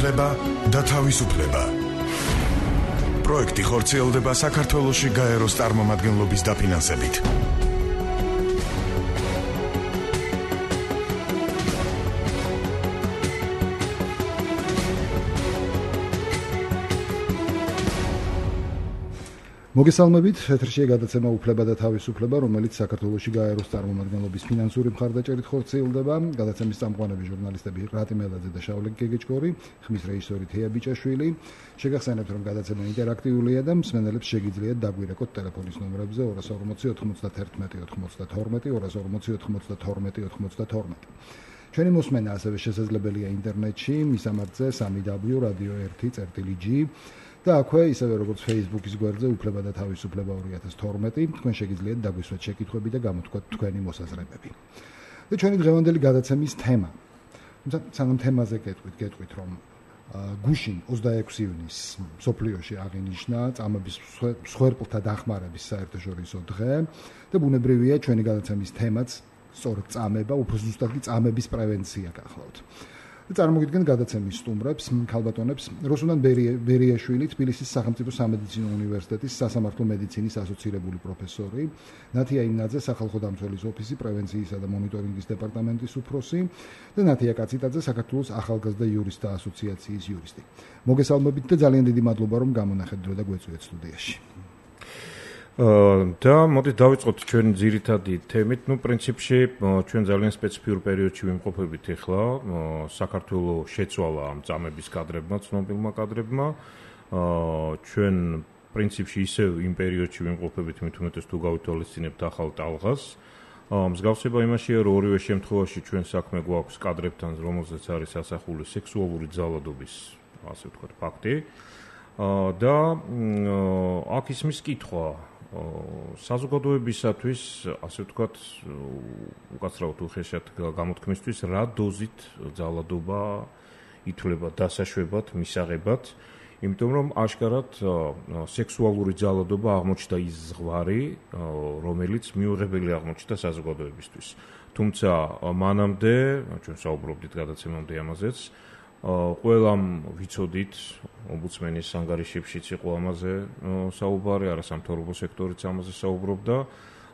უფლება და თავისუფლება. პროექტი ხორციელდება საქართველოში გაეროს წარმომადგენლობის დაფინანსებით. მოგესალმებით, ეთერშია გადაცემა უფლება და თავისუფლება, რომელიც საქართველოში გაეროს წარმომადგენლობის ფინანსური მხარდაჭერით ხორციელდება. გადაცემის წამყვანები ჟურნალისტები რატი მელაძე და შავლე გეგეჭკორი, ხმის რეჟისორი თეა ბიჭაშვილი. შეგახსენებთ, რომ გადაცემა ინტერაქტიულია და მსმენელებს შეგიძლიათ დაგვირეკოთ ტელეფონის ნომრებზე 240 91 92, 240 92 92. ჩვენი მოსმენა ასევე შესაძლებელია ინტერნეტში, მისამართზე www.radio1.g და აქვე ისევე როგორც Facebook-ის გვერდზე უფლება და თავისუფლება 2012 თქვენ შეგიძლიათ დაგვისვათ შეკითხვები და გამოთქვათ თქვენი მოსაზრებები. და ჩვენი დღევანდელი გადაცემის თემა. სანამ თემაზე გეტყვით, რომ გუშინ 26 ივნისს მსოფლიოში აღინიშნა წამების მსხვერპლთა დახმარების საერთაშორისო დღე და ბუნებრივია ჩვენი გადაცემის თემაც სწორედ წამება, უფრო ზუსტად კი წამების პრევენცია გახლავთ. წარმოგიდგენთ გადაცემის სტუმრებს, ქალბატონებს როსუნან ბერიაშვილი, თბილისის სახელმწიფო სამედიცინო უნივერსიტეტის სასამართლო მედიცინის ასოცირებული პროფესორი, ნათია იმნაძე, სახალხო დამცველის ოფისი პრევენციისა და მონიტორინგის დეპარტამენტის უფროსი და ნათია კაციტაძე, საქართველოს ახალგაზრდა იურისტთა ასოციაციის იურისტი. მოგესალმებით და ძალიან დიდი მადლობა, რომ გამონახეთ დრო და გვეწვიეთ სტუდიაში. და მოდით დავიწყოთ ჩვენი ძირითადი თემით. პრინციპში ჩვენ ძალიან სპეციფიურ პერიოდში ვიმყოფებით ახლა. საქართველოს შეცვალა ამ წამების კადრებმა, ცნობილმა კადრებმა. ჩვენ პრინციპში ისევ იმ პერიოდში ვიმყოფებით, მით უმეტეს თუ გავითვალისწინებთ ახალ ტალღას. მსგავსება იმაშია, რომ ორივე შემთხვევაში ჩვენ საქმე გვაქვს კადრებთან, რომელზეც არის ასახული სექსუალური ძალადობის, ასე ვთქვათ, ფაქტი. და აქ ისმის კითხვა საზოგადოებისათვის, ასე ვთქვათ, უკაცრავად უხეშად გამოთქმისთვის, რა დოზით ძალადობა ითვლება დასაშვებად, მისაღებად, იმიტომ რომ აშკარად სექსუალური ძალადობა აღმოჩნდა ის ზღვარი, რომელიც მიუღებელი აღმოჩნდა საზოგადოებისთვის. თუმცა მანამდე, ჩვენ საუბრობდით გადაცემამდე ამაზეც, ყველამ ვიცოდით, ომბუდსმენის ანგარიშებშიც იყო ამაზე საუბარი, არასამთავრობო სექტორიც ამაზე საუბრობდა,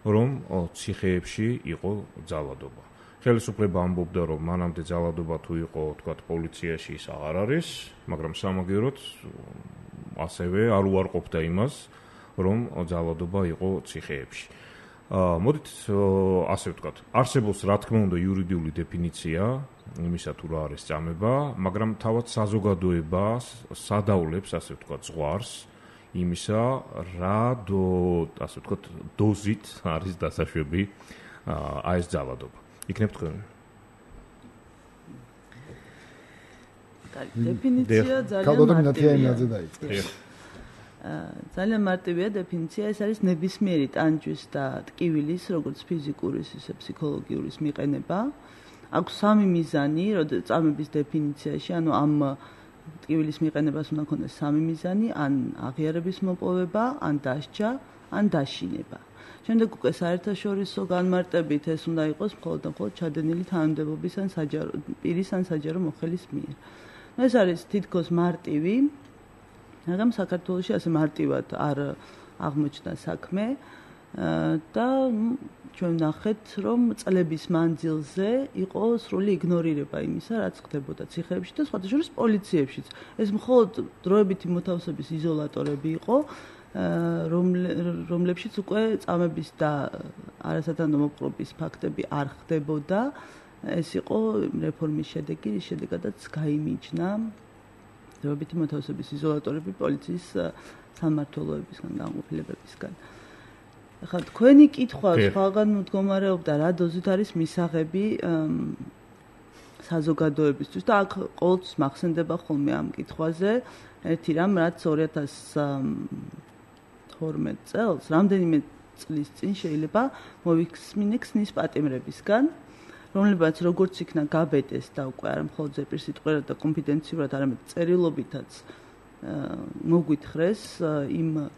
რომ ციხეებში იყო ძალადობა. ხელისუფლება ამბობდა, რომ მანამდე ძალადობა თუ იყო, თქვათ, პოლიციაში ის აღარ არის, მაგრამ სამაგიეროდ ასევე არ უარყოფდა იმას, რომ ძალადობა იყო ციხეებში. მოდით ასე ვთქვათ, არსებობს რა თქმა უნდა იურიდიული დეფინიცია იმისა თუ რა არის წამება, მაგრამ თავად საზოგადოებას სადავლებს, ასე ვთქვათ, ზღვარს იმისა, რა ასე ვთქვათ, დოზით არის დასაშვები აი ეს ძალადობა. იქნებ თქვენ. დეფინიცია ძალიან მარტივია დეფინიცია, ეს არის ნებისმიერი ტანჯვის და ტკივილის, როგორც ფიზიკურის, ისე ფსიქოლოგიურის მიყენება. აქვს სამი მიზანი, წამების დეფინიციაში, ანუ ამ ტკივილის მიყენებას უნდა ქონდეს სამი მიზანი, ან აღიარების მოპოვება, ან დასჯა, ან დაშინება. შემდეგ უკვე საერთაშორისო განმარტებით ეს უნდა იყოს მხოლოდ ჩადენილი თანამდებობის ან პირის ან საჯარო მოხელის მიერ. ეს არის თითქოს მარტივი, მაგრამ საქართველოში ასე მარტივად არ აღმოჩნდა საქმე და ჩვენ ვნახეთ, რომ წლების მანძილზე იყო სრული იგნორირება იმისა, რაც ხდებოდა ციხეებში და სხვათა შორის პოლიციებშიც. ეს მხოლოდ დროებითი მოთავსების იზოლატორები იყო, რომლებშიც უკვე წამების და არასათანადო მოპყრობის ფაქტები არ ხდებოდა. ეს იყო რეფორმის შედეგი, რის შედეგადაც გაიმიჯნა დროებითი მოთავსების იზოლატორები პოლიციის სამმართველოებისგან, განყოფილებებისგან. ახლა თქვენი კითხვა სხვაგან მდგომარეობდა, რა დოზით არის მისაღები საზოგადოებისთვის და აქ ყოველთვის მახსენდება ხოლმე ამ კითხვაზე ერთი რამ, რაც 2012 წელს, რამდენიმე წლის წინ შეიძლება მოვიხსმინე ქსნის პატიმრებისგან, რომლებიც როგორც იქნა გაბედეს და უკვე არა მხოლოდ ზეპირსიტყვიერად და კონფიდენციურად, არამედ წერილობითაც მოგვითხრეს იმ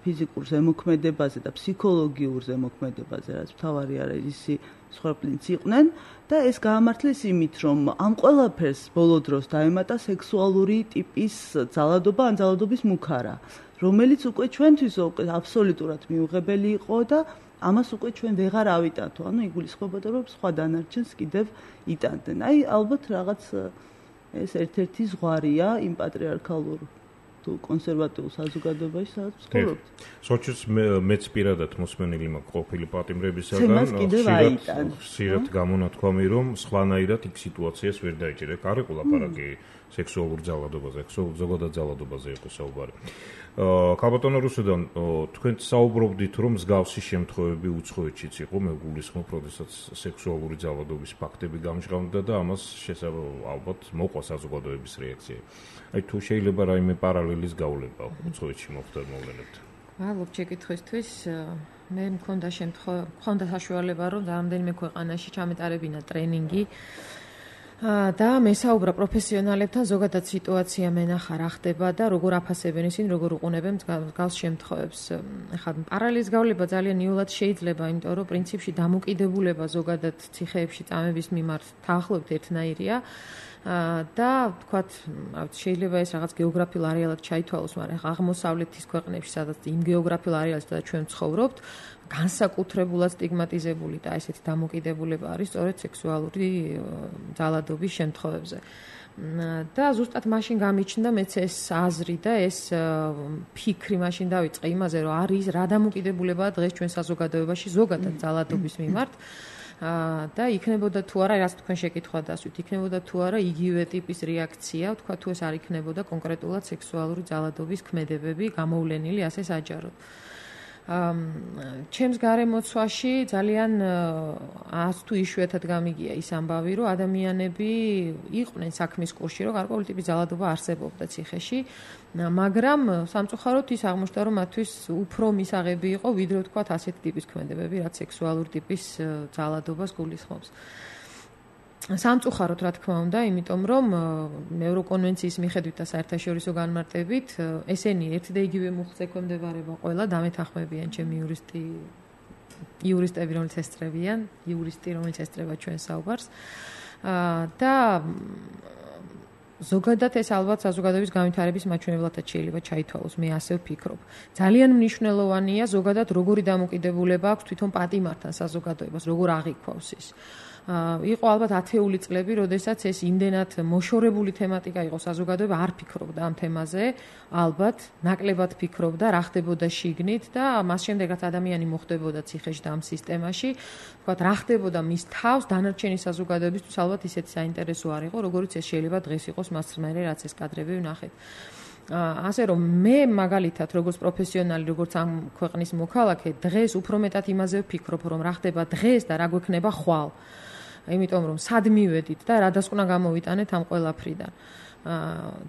ფიზიკურ ზემოქმედებაზე და ფსიქოლოგიურ ზემოქმედებაზე, რაც მთავარი არის ისი სხვაპლინც იყვნენ და ეს გაამართლეს იმით, რომ ამ ყველაფერს ბოლო დროს დაემატა სექსუალური ტიპის ძალადობა ან ძალადობის მუქარა, რომელიც უკვე ჩვენთვის აბსოლუტურად მიუღებელი იყო და ამას უკვე ჩვენ ვეღარ ავიტანთო, ანუ იგულისხმებოდა, რომ სხვა დანარჩენს კიდევ იტანდნენ. აი, ალბათ რაღაც ეს ერთ-ერთი ზღვარია იმ პატრიარქალურ თუ კონსერვატიულ საზოგადოებაში, სადაც ვცხოვრობთ. სოჭის მეც პირადად მოსმენილი მაქვს ყოფილი პატიმრებისაგან, ხშირად გამონათქვამი, რომ სხვანაირად იქ სიტუაციას ვერ დაიჭირე. არ იყო ლაპარაკი სექსუალურ ძალადობაზე, ზოგადად ძალადობაზე იყო საუბარი. ქალბატონო რუსუდან, თქვენ საუბრობდით, რომ მსგავსი შემთხვევები უცხოეთშიც იყო, მე გულისხმობ, როდესაც სექსუალური ძალადობის ფაქტები გამჟღავნდა და ამას ალბათ მოყვა საზოგადოების რეაქცია. აი თუ შეიძლება რაიმე პარალელის გავლება უცხოეთში მოხდეთ. მადლობ შეკითხვისთვის. მე მქონდა საშუალება, რომ რამდენიმე ქვეყანაში ჩამეტარებინა ტრენინგი და მესაუბრა პროფესიონალებთან, ზოგადად სიტუაცია მენახა რა ხდება და როგორ აფასებენ ისინი, როგორ უყურებენ მსგავს შემთხვევებს. ახლა პარალელის გავლება ძალიან იოლად შეიძლება, იმიტომ რომ პრინციპში დამოკიდებულება ზოგადად ციხეებში წამების მიმართ დაახლოებით ერთნაირია. და თქვათ, შეიძლება ეს რაღაც გეოგრაფიულ არეალად ჩაითვალოს, მაგრამ აღმოსავლეთის ქვეყნებში, სადაც იმ გეოგრაფიულ არეალში სადაც ჩვენ ვცხოვრობთ, განსაკუთრებულად სტიგმატიზებული და ესეთი დამოკიდებულება არის სწორედ სექსუალური ძალადობის შემთხვევებზე. და ზუსტად მაშინ გამიჩნდა მეც ეს აზრი და ეს ფიქრი მაშინ დავიწყე იმაზე, რომ არის რა დამოკიდებულებაა დღეს ჩვენ საზოგადოებაში ზოგადად ძალადობის მიმართ. და იქნებოდა თუ არა, რაც თქვენ შეკითხვა დასვით, იქნებოდა თუ არა იგივე ტიპის რეაქცია, თქვა თუ ეს არ იქნებოდა კონკრეტულად სექსუალური ძალადობის ქმედებები გამოვლენილი ასე საჯაროდ. ჩემს გარემოცვაში ძალიან ას თუ იშვიათად გამიგია ის ამბავი, რომ ადამიანები იყვნენ საქმის კურსში, რომ გარკვეული ტიპის ძალადობა არსებობდა ციხეში, მაგრამ სამწუხაროდ ის აღმოჩნდა, რომ მათთვის უფრო მისაღები იყო, ვიდრე ვთქვათ ასეთი ტიპის ქმედებები, რაც სექსუალური ტიპის ძალადობას გულისხმობს. სამწუხაროდ რა თქმა უნდა, იმიტომ რომ ევროკონვენციის მიხედვით და საერთაშორისო განმარტებით ესენი ერთი და იგივე მუხლს ექვემდებარება ყველა, დამეთანხმებიან ჩემი იურისტები, რომელიც ესწრებიან, იურისტი, რომელიც ესწრება ჩვენ საუბარს. და ზოგადად ეს ალბათ საზოგადოების განვითარების მაჩვენებლად შეიძლება ჩაითვალოს, მე ასე ვფიქრობ. ძალიან მნიშვნელოვანია ზოგადად როგორი დამოკიდებულება აქვს თვითონ პატიმართან საზოგადოებას, როგორ აღიქვავს ის. იყო ალბათ 10-ული წლები, როდესაც ეს იმდენად მოშორებული თემატიკა იყო საზოგადოება, არ ფიქრობდა ამ თემაზე, ალბათ ნაკლებად ფიქრობდა რა ხდებოდა შიგნით და მას შემდეგ რაც ადამიანი მოხდებოდა ციხეში და ამ სისტემაში, თქვათ რა ხდებოდა მის თავს დანარჩენი საზოგადოებისთვის ალბათ ისეთი საინტერესო არ იყო, როგორც ეს შეიძლება დღეს იყოს მას მერე რაც ეს კადრები ვნახეთ. ასე რომ მე მაგალითად როგორც პროფესიონალი, როგორც ამ ქვეყნის მოქალაქე, დღეს უფრო მეტად იმაზე ვფიქრობ, რომ რა ხდება დღეს და რა გვექნება ხვალ. იმიტომ რომ სად მივედით და რა დასკვნა გამოვიტანეთ ამ ყველაფრიდან.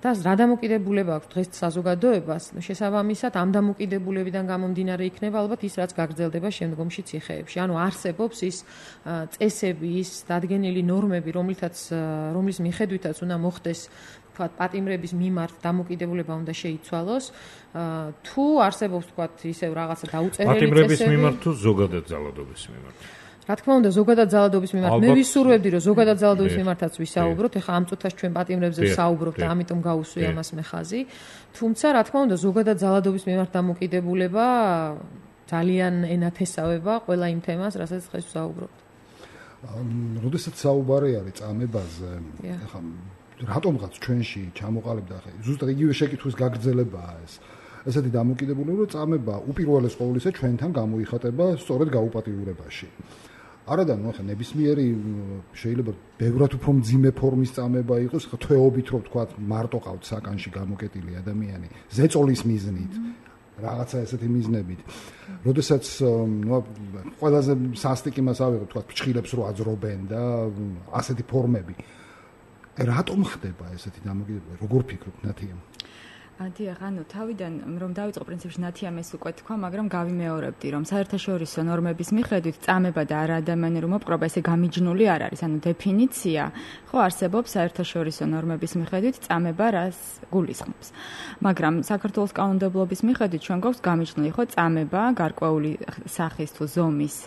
და რა დამოკიდებულება აქვს დღეს საზოგადოებას, შესაბამისად ამ დამოკიდებულებიდან გამომდინარე იქნება ალბათ ის რაც გაგრძელდება შემდგომში ციხეებში. ანუ არსებობს ის წესები, ის დადგენილი ნორმები, რომლის მიხედვითაც უნდა მოხდეს თქვათ პატიმრების მიმართ დამოკიდებულება უნდა შეიცვალოს, თუ არსებობს თქვათ ისევ რაღაცა დაუწერელი წესები პატიმრების მიმართ თუ ზოგადად ძალადობის მიმართ. რა თქმა უნდა, ზოგადად ძალადობის მიმართ. მე ვისურვებდი, რომ ზოგადად ძალადობის მიმართაც ვისაუბროთ. ეხლა ამ წუთას ჩვენ პატიმრებზე ვსაუბრობთ და ამიტომ გავუსვი ამას მე ხაზი. თუმცა, რა თქმა უნდა, ზოგადად ძალადობის მიმართ დამოკიდებულება ძალიან ენათესავება ყველა იმ თემას, რასაც დღეს ვსაუბრობთ. როდესაც საუბარი არის წამებაზე, ეხლა რატომღაც ჩვენში ჩამოყალიბდა ახლა ზუსტად იგივე შეკითხვის გაგრძელებაა ეს. ესეთი დამოკიდებულება, რომ წამება უპირველეს ყოვლისა ჩვენთან გამოიხატება სწორედ გაუპატიურებაში. არადა ნუ ახლა ნებისმიერი შეიძლება ბევრად უფრო მძიმე ფორმის წამება იყოს, ხა თვეობით რომ თქვა მარტო ყავთ საკანში გამოკეტილი ადამიანი, ზეწოლის მიზნით, რაღაცა ესეთი მიზნებით. როდესაც ნუ ყველაზე სასტიკი მას ავიღოთ, თქვა ფჩხილებს რო აძრობენ და ასეთი ფორმები. რატომ ხდება ესეთი დამოკიდებულება? როგორ ფიქრობთ, ნათია? დიახ, თავიდან რომ დავიწყო პრინციპში ნათიამეს უკვე თქვა, მაგრამ გავიმეორებდი, რომ საერთაშორისო ნორმების მიხედვით წამება და არაადამიანური მოპყრობა ესე გამიჯნული არ არის, დეფინიცია ხო არსებობს საერთაშორისო ნორმების მიხედვით წამება რას გულისხმობს. მაგრამ საქართველოს კანონმდებლობის მიხედვით ჩვენ გვაქვს გამიჯნული ხო წამება, გარკვეული სახის თუ ზომის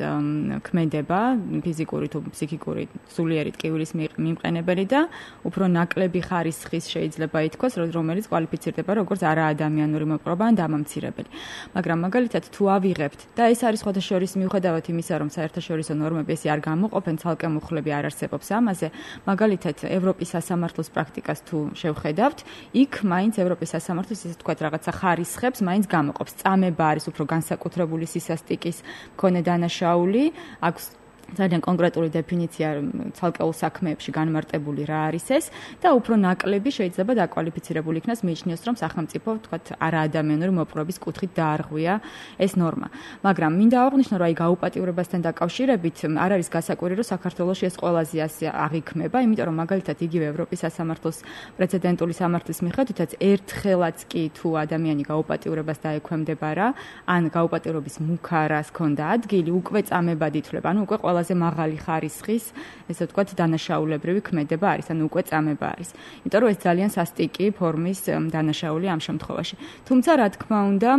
ქმედება, ფიზიკური თუ ფსიქიკური სულიერი ტკივილის მიმყენებელი და უფრო ნაკლები ხარისხის შეიძლება ითქვას, რომელიც კვალიფიცირდება როგორც არაადამიანური მოპყრობა ან დამამცირებელი. მაგრამ მაგალითად თუ ავიღებთ და ეს არის სხვადასხვა მიუხედავად იმისა, რომ საერთაშორისო ნორმები ესე არ გამოყოფენ, ცალკე მუხლები არ არსებობს ამაზე, მაგალითად ევროპის სასამართლოს პრაქტიკას თუ შევხედავთ, იქ მაინც ევროპის სასამართლოს ესე თქვა რაღაცა ხარისხებს მაინც გამოყოფს. წამება არის უფრო განსაკუთრებული სისასტიკის მქონე დანაშაული, აქვს ძალიან კონკრეტული დეფინიცია ცალკეულ საქმეებში განმარტებული რა არის ეს და უფრო ნაკლები შეიძლება დაკვალიფიცირებული იქნას მიიჩნიოს რომ სახელმწიფო თქვათ არაადამიანური მოპყრობის კუთხით დაარღვია ეს ნორმა. მაგრამ მინდა აღვნიშნო რომ გაუპატიურებასთან დაკავშირებით არ არის გასაკვირი რომ საქართველოში ეს ყველაზე ასე აღიქმება, იმიტომ რომ მაგალითად იგივე ევროპის სასამართლოს პრეცედენტული სამართლის მიხედვითაც ერთხელაც კი თუ ადამიანი გაუპატიურებას დაექვემდება რა, ან გაუპატიურების მუქარას ქონდა ადგილი, უკვე წამებად ითვლება, უკვე ყველაზე მაღალი ხარისხის, ესე ვთქვათ, დანაშაულებრივი ქმედება არის, უკვე წამება არის. იმიტომ რომ ეს ძალიან სასტიკი ფორმის დანაშაული ამ შემთხვევაში. თუმცა, რა თქმა უნდა,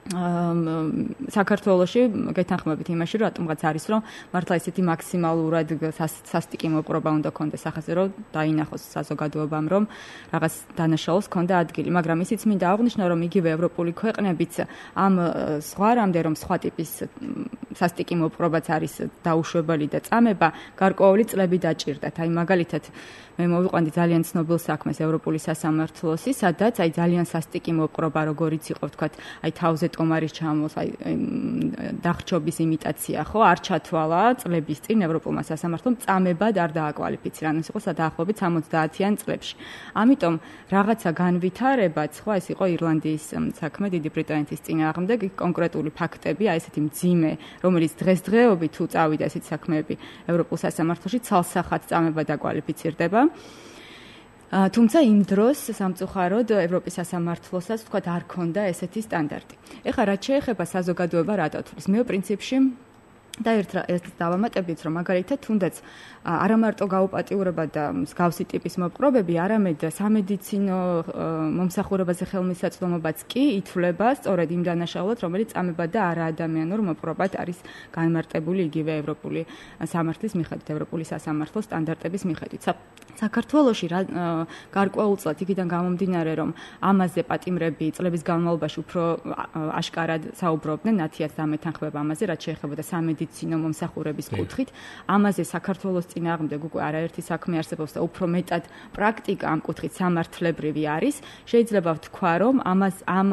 საქართველოში გეთანხმებით იმაში, რომ რატომღაც არის, რომ მართლა ესეთი მაქსიმალურად სასტიკი მოპყრობა უნდა კონდეს ახაზე, რომ დაინახოს საზოგადოებამ, რომ რაღაც დანაშაულს ქონდა ადგილი. მაგრამ ისიც მინდა აღვნიშნო, რომ იგივე ევროპული ქვეყნებიც ამ ზღვარამდე, რომ სხვა ტიპის სასტიკი მოპყრობაც არის დაუშვებელი და წამება, გარკვეული წლები დაჭირდათ. აი მაგალითად მე მოვიყვანდი ძალიან ცნობილ საქმეს ევროპული სასამართლოსი, სადაც აი ძალიან სასტიკი მოპყრობა, როგორიც იყო, ვთქვათ, აი თავზე ტომარის ჩამოს, აი დახჭობის იმიტაცია, ხო, არ ჩათვალა წლების წინ ევროპულმა სასამართლომ წამებად არ დააკვალიფიცირა, ანუ ეს იყო დაახლოებით 70-იან წლებში. ამიტომ რაღაცა განვითარებაც, ხო, ეს იყო ირლანდიის საქმე დიდი ბრიტანეთის წინააღმდეგ, კონკრეტული ფაქტები, აი ესეთი მძიმე, რომელიც დღესდღეობით თუ წავიდა ესეთი საქმეები ევროპულ სასამართლოში, ცალსახად წამება დაკვალიფიცირდება. თუმცა იმ დროს სამწუხაროდ ევროპის სასამართლოსაც თქვა არ ქონდა ესეთი სტანდარტი. ეხლა რაც შეეხება საზოგადოება რა დათვლის, მე პრინციპში და ერთ დავამატებთ, რომ მაგალითად თუნდაც არა მარტო გაუპატიურება და მსგავსი ტიპის მოპყრობები, არამედ სამედიცინო მომსახურებაზე ხელმისაწვდომობაც კი ითვლება სწორედ იმ დანაშაულად, რომელიც წამება და არაადამიანურ მოპყრობად არის განმარტებული იგივე ევროპული სამართლის მიხედვით, ევროპული სასამართლოს სტანდარტების მიხედვით. საქართველოში გარკვეულწილად იქიდან გამომდინარე, რომ ამაზე პატიმრები წლების განმავლობაში უფრო აშკარად საუბრობდნენ, ნათიაც დამეთანხმება ამაზე, რაც შეეხებოდა სამედიცინო მომსახურების კუთხით. ამაზე საქართველოს წინააღმდეგ უკვე არაერთი საქმე არსებობს და უფრო მეტად პრაქტიკა ამ კუთხით სამართლებრივი არის. შეიძლება ვთქვა, რომ ამ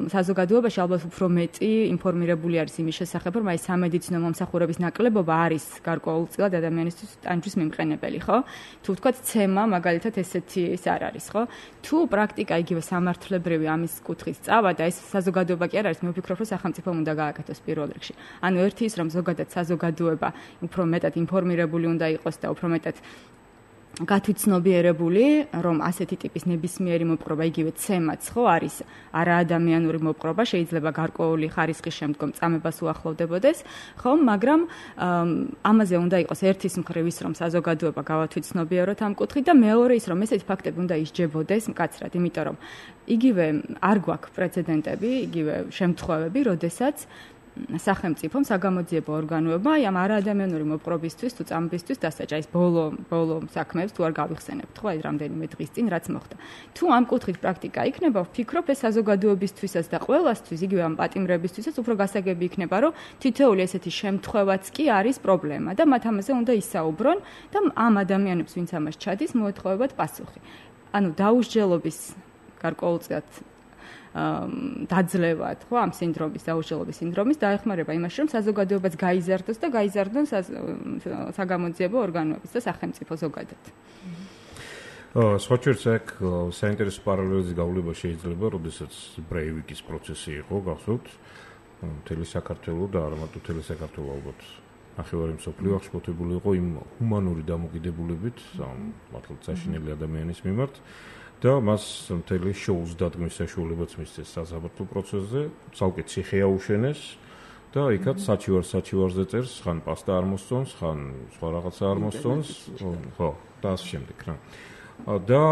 საზოგადოებაში ალბათ უფრო მეტი ინფორმირებული არის იმის შესახებ, რომ აი სამედიცინო მომსახურების ნაკლებობა არის გარკვეულწილად ადამიანისთვის ტანჯვის მიმყენებელი, ხო? თუ ვთქვათ, ცემა მაგალითად ესეთი ის არ არის, ხო? თუ პრაქტიკა იგივე სამართლებრივი ამის კუთხით სწავა და ეს საზოგადოება კი არ არის, მე ვფიქრობ, რომ სახელმწიფომ უნდა გააკეთოს პირველ რიგში. ანუ ერთი ის, რომ ზოგადად საზოგადოება უფრო მეტად ინფორმირებული უნდა იყოს და უფრო მეტად გათვითცნობიერებული, რომ ასეთი ტიპის ნებისმიერი მოპყრობა იგივე ცემაც ხო არის არაადამიანური მოპყრობა, შეიძლება გარკვეული ხარისხის შემდგომ წამებას უახლოვდებოდეს, ხო, მაგრამ ამაზე უნდა იყოს ერთის მხრივ ის, რომ საზოგადოება გავათვითცნობიეროთ ამ კუთხით და მეორე ის, რომ ესეთი ფაქტები უნდა ისჯებოდეს მკაცრად, იმიტომ რომ იგივე არ გვაქვს პრეცედენტები, იგივე შემთხვევები, როდესაც სახელმწიფომ საგამოძიებო ორგანოებმა აი ამ არაადამიანური მოპყრობისთვის თუ წამებისთვის დასაჯა ის ბოლო საქმეებს თუ არ გავიხსენებთ ხო აი რამდენიმე დღის წინ რაც მოხდა. თუ ამ კუთხით პრაქტიკა იქნება, ვფიქრობ ეს საზოგადოებისთვისაც და ყველასთვის იგივე ამ პატიმრებისთვისაც უფრო გასაგები იქნება, რომ თითოეული ესეთი შემთხვევაც კი არის პრობლემა და მათ ამაზე უნდა ისაუბრონ და ამ ადამიანებს ვინც ამას ჩადის მოეთხოვებათ პასუხი. ანუ დაუსჯელობის გარკვეულწილად დაძლევად, ხო, ამ სინდრომის, დაუსჯელობის სინდრომის დაეხმარება იმაში, რომ საზოგადოებაც გაიზარდოს და გაიზარდონ საგამოძიებო ორგანოებიც და სახელმწიფო ზოგადად. სხვაჩვენს აქ საინტერესო პარალელიზი გავლება შეიძლება, როდესაც ბრეივიკის პროცესი იყო, გახსოვთ, მთელი საქართველო და არა მარტო მთელი საქართველო ალბათ ნახევარი მსოფლიო აღშფოთებული იყო იმ ჰუმანური დამოკიდებულებით, მართლაც საშინელი ადამიანის მიმართ. და მას მთელი შოუს დადგმის საშუალებაც მისცეს საზაბათო პროცესზე, ცალკე ციხე აუშენეს და იქაც საჩივარზე წერს, ხან პასტა არ მოსწონს, ხან სხვა რაღაცა არ მოსწონს, ხო, და ასე შემდეგ რა. და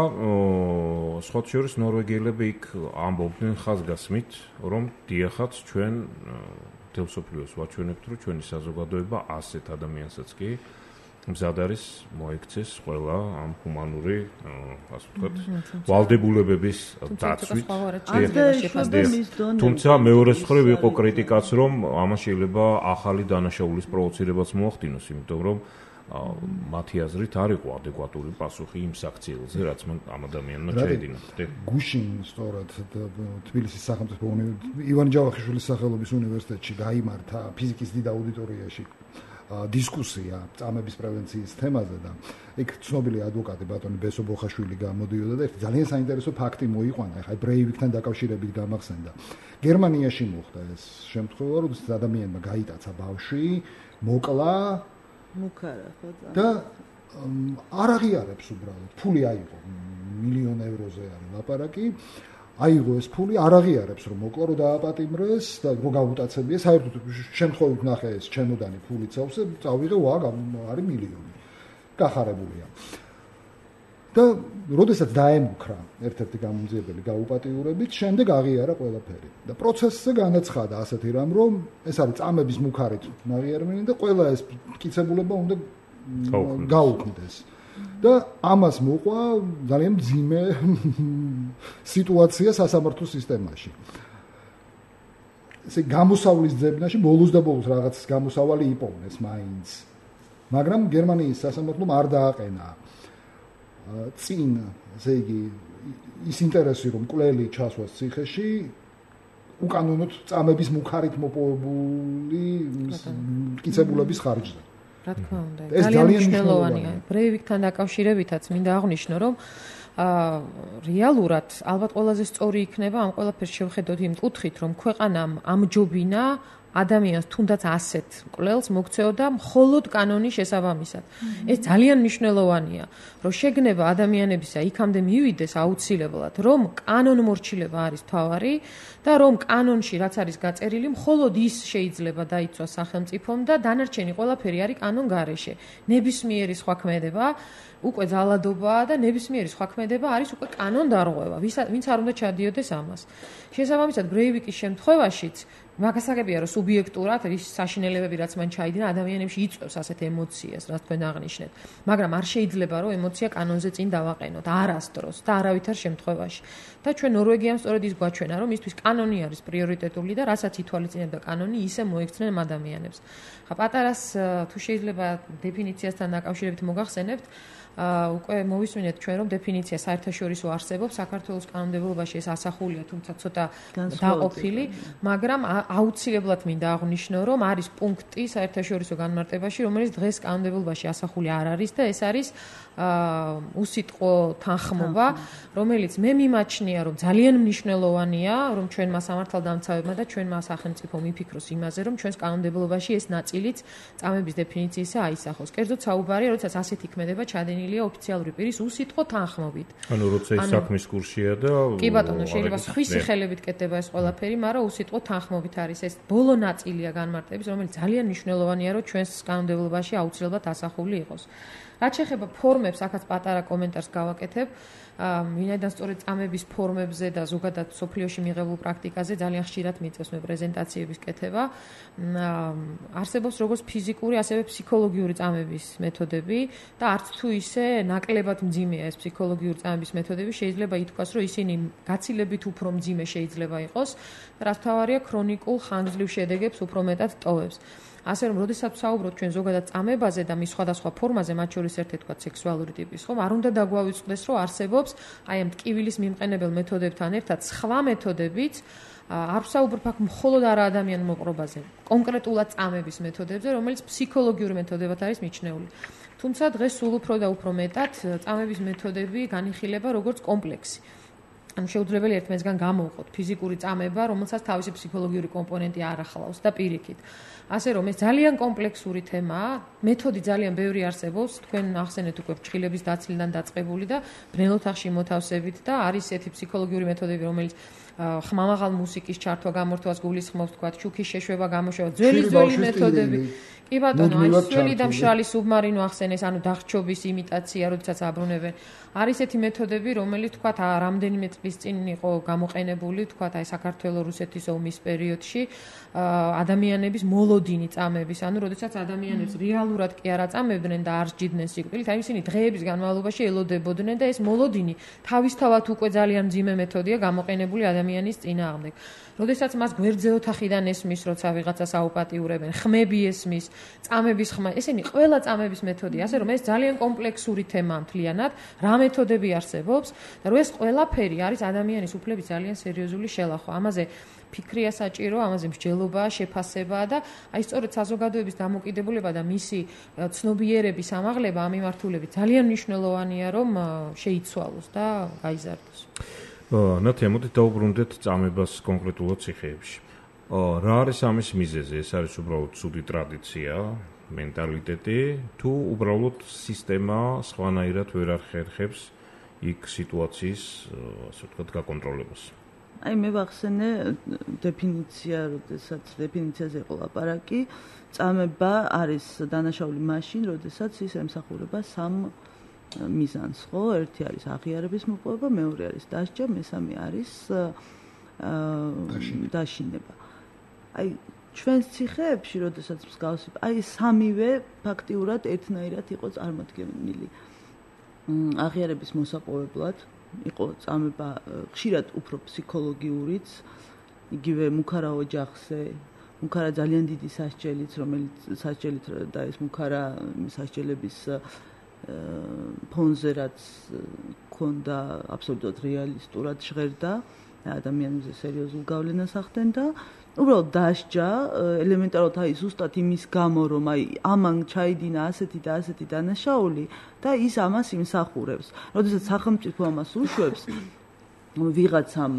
სხვა შორის ნორვეგიელები იქ ამბობდნენ ხაზგასმით, რომ დიახაც ჩვენ თელსოფლიოს ვაჩვენებთ, რომ ჩვენი საზოგადოება ასეთ ადამიანსაც კი მზად არის მოექცეს ყველა ამ ჰუმანური, ასე ვთქვათ, ვალდებულებების დაცვით. თუმცა მეორე მხრივ იყო კრიტიკაც, რომ ამას შეიძლება ახალი დანაშაულის პროვოცირებაც მოახდინოს, იმიტომ რომ მათი აზრით არ იყო ადეკვატური პასუხი იმ საქციელზე, რაც მან ამ ადამიანმა შეედინა. გუშინ სწორად თბილისის სახელმწიფო ივან ჯავახიშვილის სახელობის უნივერსიტეტში გაიმართა ფიზიკის დიდ აუდიტორიაში დისკუსია წამების პრევენციის თემაზე და იქ ცნობილი ადვოკატი ბატონი ბესო ბოხაშვილი გამოდიოდა და ერთი ძალიან საინტერესო ფაქტი მოიყვანა. ეხლა ბრეივიკთან დაკავშირებით გამახსენდა. გერმანიაში მოხდა ეს შემთხვევა, როდესაც ადამიანმა გაიტაცა ბავშვი, მოკლა მუქარა ხო და არ აღიარებს უბრალოდ. ფული აიღო, 1,000,000 ევროზე არის ლაპარაკი. აიღო ეს ფული, არ აღიარებს რომ მოკლა, რომ დააპატიმრეს და რომ გაუტაცებია. საერთოდ შემთხვევით ნახე ეს ჩემოდანი ფული წავსე, წავიღე, არის 1,000,000. გახარებულია. და როდესაც დაემუქრა ერთ-ერთი გამომძიებელი გაუპატიურებით, შემდეგ აღიარა ყველაფერი. და პროცესზე განაცხადა ასეთი რამ, რომ ეს არის წამების მუქარით აღიარებინი და ყველა ეს მტკიცებულება უნდა გაუქმდეს. და ამას მოყვა ძალიან მძიმე სიტუაცია სასამართლო სისტემაში. ესე გამოსავლის ძებნაში ბოლოს და ბოლოს რაღაც გამოსავალი იპოვნეს მაინც. მაგრამ გერმანიის სასამართლომ არ დააყენა წინ, ესე იგი, ის ინტერესი, რომ მკვლელი ჩასვას ციხეში, უკანონოდ წამების მუქარით მოპოვებული მტკიცებულების ხარჯზე. რა თქმა უნდა, ძალიან მნიშვნელოვანია. ბრეივიკთან დაკავშირებითაც მინდა აღვნიშნო, რომ რეალურად ალბათ ყველაზე სწორი იქნება ამ ყველაფერს შევხედოთ იმ კუთხით, რომ ქვეყანამ ამჯობინა ადამიანს თუნდაც ასეთ მკვლელს მოქცეოდა მხოლოდ კანონის შესაბამისად. ეს ძალიან მნიშვნელოვანია, რომ შეგნება ადამიანებისა იქამდე მივიდეს აუცილებლად, რომ კანონმორჩილება არის თავარი და რომ კანონში რაც არის გაწერილი, მხოლოდ ის შეიძლება დაიცვას სახელმწიფომ და დანარჩენი ყველაფერი არის კანონ გარეშე. ნებისმიერი სხვა ქმედება უკვე ძალადობაა და ნებისმიერი სხვა ქმედება არის უკვე კანონდარღვევა. ვინც არ უნდა ჩადიოდეს ამას. შესაბამისად, ბრეივიკის შემთხვევაშიც მაგასაგებია, რომ სუბიექტურად ის საშინელებები, რაც მან ჩაიდინა, ადამიანებში იწვევს ასეთ ემოციას, რაც თქვენ აღნიშნეთ. მაგრამ არ შეიძლება, რომ ემოცია კანონზე წინ დავაყენოთ, არასდროს და არავითარ შემთხვევაში. და ჩვენ ნორვეგიამ სწორედ ის გვაჩვენა, რომ მისთვის კანონი არის პრიორიტეტული და რასაც ითვალისწინებდა კანონი, ისე მოექცნენ ადამიანებს. ხა პატარას თუ შეიძლება დეფინიციასთან დაკავშირებით მოგახსენებთ, უკვე მოვისმინეთ ჩვენ, რომ დეფინიცია საერთაშორისო არსებობს, საქართველოს კანონმდებლობაში ეს ასახულია, თუმცა ცოტა დაყოფილი, მაგრამ აუცილებლად მინდა აღვნიშნო, რომ არის პუნქტი საერთაშორისო განმარტებაში, რომელიც დღეს კანონმდებლობაში ასახული არ არის და ეს არის უსიტყვო თანხმობა, რომელიც მე მიმაჩნია, რომ ძალიან მნიშვნელოვანია, რომ ჩვენმა სამართალდამცავებმა და ჩვენმა სახელმწიფომ იფიქროს იმაზე, რომ ჩვენს კანონმდებლობაში ეს ნაწილიც წამების დეფინიციისა აისახოს. კერძოდ საუბარია, როდესაც ასეთი ქმედება ჩადენილია ოფიციალური პირის უსიტყვო თანხმობით. ანუ როცა ის საქმის კურსია და კი ბატონო, შეიძლება სხვისი ხელებით კეთდება ეს ყველაფერი, მაგრამ უსიტყვო თანხმობით არის ეს ბოლო ნაწილია განმარტების, რომელიც ძალიან მნიშვნელოვანია, რომ ჩვენს კანონმდებლობაში აუცილებლად ასახული იყოს. რაც შეეხება ფორმებს, აქაც პატარა კომენტარს გავაკეთებ. ვინაიდან სწორედ წამების ფორმებზე და ზოგადად სოფლიოში მიღებულ პრაქტიკაზე ძალიან ხშირად მიწევს მე პრეზენტაციების კეთება. არსებობს როგორც ფიზიკური, ასევე ფსიქოლოგიური წამების მეთოდები და არც თუ ისე ნაკლებად მძიმეა ეს ფსიქოლოგიური წამების მეთოდები, შეიძლება ითქვას, რომ ისინი გაცილებით უფრო მძიმე შეიძლება იყოს და რაც თავარია ქრონიკულ ხანგრძლივ შედეგებს უფრო მეტად ტოვებს. ასე რომ, როდესაც ვსაუბრობთ ჩვენ ზოგადად წამებაზე და მის სხვადასხვა ფორმაზე, მათ შორის ერთ-ერთი თქვა სექსუალური ტიპის, ხომ, არ უნდა დაგვავიწყდეს, რომ არსებობს აი ამ ტკივილის მიმყენებელ მეთოდებთან ერთად სხვა მეთოდებიც, არ ვსაუბრობ აქ მხოლოდ არა ადამიანურ მოყრობაზე, კონკრეტულად წამების მეთოდებზე, რომელიც ფსიქოლოგიური მეთოდებად არის მიჩნეული. თუმცა დღეს სულ უფრო და უფრო მეტად წამების მეთოდები განიხილება როგორც კომპლექსი. ანუ შეუძლებელი ერთმანეთსგან გამოვყოთ ფიზიკური წამება, რომელსაც თავისი ფსიქოლოგიური კომპონენტი არ ახლავს და პირიქით. ასე რომ ეს ძალიან კომპლექსური თემაა, მეთოდი ძალიან ბევრი არსებობს, თქვენ ახსენეთ უკვე ფრჩხილების დაცლიდან დაწყებული და ბრნელოთ ახში მოთავსებით და არის ესეთი ფსიქოლოგიური მეთოდები, რომელიც ხმამაღალ მუსიკის ჩართვა გამორთვას გულისხმობს, თქვა, შუქის შეშვება გამოშვება, ძველი მეთოდები. კი ბატონო, აი სველი და მშრალი სუბმარინო ახსენეს, ანუ დახჩობის იმიტაცია, როდესაც აბრუნებენ. არის ესეთი მეთოდები, რომელიც თქვა, რამდენიმე წლის წინ იყო გამოყენებული, თქვა, აი საქართველოს რუსეთის ომის პერიოდში ადამიანების მოლოდინი წამების, ანუ როდესაც ადამიანებს რეალურად კი არ აწამებდნენ და არ სჯიდნენ სიკვდილით, აი ისინი დღეების განმავლობაში ელოდებოდნენ და ეს მოლოდინი თავისთავად უკვე ძალიან მძიმე მეთოდია გამოყენებული ადამიანის წინააღმდეგ. როდესაც მას გვერდზე ოთახიდან ესმის, როცა ვიღაცას აუპატიურებენ, ხმები ესმის, წამების ხმა, ესენი ყველა წამების მეთოდია, ასე რომ ეს ძალიან კომპლექსური თემაა მთლიანად, რა მეთოდები არსებობს და რომ ეს ყველაფერი არის ადამიანის უფლების ძალიან სერიოზული შელახვა. ამაზე ფიქრია საჭირო, ამაზე მსჯელობაა, შეფასებაა და აი სწორედ საზოგადოების დამოკიდებულება და მისი ცნობიერების ამაღლება ამ მიმართულებით ძალიან მნიშვნელოვანია, რომ შეიცვალოს და გაიზარდოს. ნათია, მოდით დავუბრუნდეთ წამებას კონკრეტულად ციხეებში. რა არის ამის მიზეზი? ეს არის უბრალოდ ცუდი ტრადიცია, მენტალიტეტი, თუ უბრალოდ სისტემა სხვანაირად ვერ ახერხებს იქ სიტუაციის, ასე ვთქვათ, გაკონტროლებას? აი მე ვახსენე დეფინიცია, როდესაც დეფინიციაზე იყო ლაპარაკი, წამება არის დანაშაული მაშინ, როდესაც ის ემსახურება სამ მიზანს, ხო? ერთი არის აღიარების მოპოვება, მეორე არის დასჯა, მესამე არის დაშინება. აი ჩვენს ციხეებში, როდესაც მსგავსი, აი სამივე ფაქტიურად ერთნაირად იყო წარმოდგენილი. აღიარების მოსაპოვებლად იყო წამება ხშირად უფრო ფსიქოლოგიურიც, იგივე მუქარა ოჯახზე, მუქარა ძალიან დიდი სასჯელით, რომელიც სასჯელით და ეს მუქარა სასჯელების ფონზე რაც ქონდა აბსოლუტურად რეალისტურად ჟღერდა ადამიანებზე სერიოზულ გავლენას ახდენდა. უბრალოდ დასჯა ელემენტარულად აი ზუსტად იმის გამო რომ აი ამან ჩაიდინა ასეთი და ასეთი დანაშაული და ის ამას იმსახურებს. როდესაც სახელმწიფო ამას უშვებს ვიღაცამ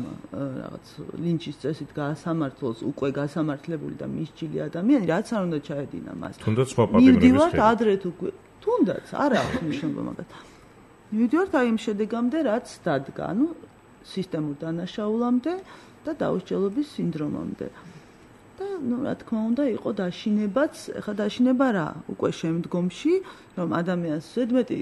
რაღაც ლინჩის წესით გაასამართლოს უკვე გასამართლებული და მისჯილი ადამიანი, რაც არ უნდა ჩაედინა მას. თუნდაც სხვა პატიმრების ხელი. ადრე თუ თუნდაც არა აქვს მნიშვნელობა მაგათ. მივიდივართ აი იმ შედეგამდე, რაც დადგა, ანუ სისტემურ დანაშაულამდე და დაუსჯელობის სინდრომამდე. და ნუ რა თქმა უნდა იყო დაშინებაც, ეხლა დაშინება რა, უკვე შემდგომში, რომ ადამიანს ზედმეტი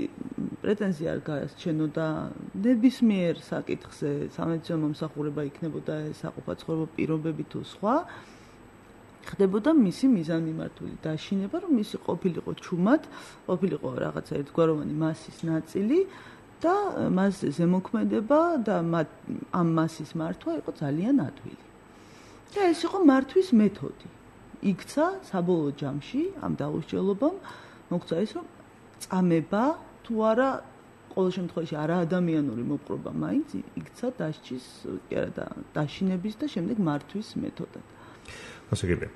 პრეტენზია არ გაასჩენოდა ნებისმიერ საკითხზე, სამედიცინო მომსახურება იქნებოდა საყოფაცხოვრებო პირობები თუ სხვა, ხდებოდა მისი მიზანმიმართული დაშინება, რომ მისი ყოფილიყო ჩუმად, ყოფილიყო რაღაცა ერთგვაროვანი მასის ნაწილი და მასზე ზემოქმედება და ამ მასის მართვა იყო ძალიან ადვილი. და ეს იყო მართვის მეთოდი. იქცა საბოლოო ჯამში ამ დაუსჯელობამ მოგცა ის, რომ წამება თუ არა ყოველ შემთხვევაში არაადამიანური მოპყრობა მაინც იქცა დასჯის, კი არა და დაშინების და შემდეგ მართვის მეთოდად. გასაგებია.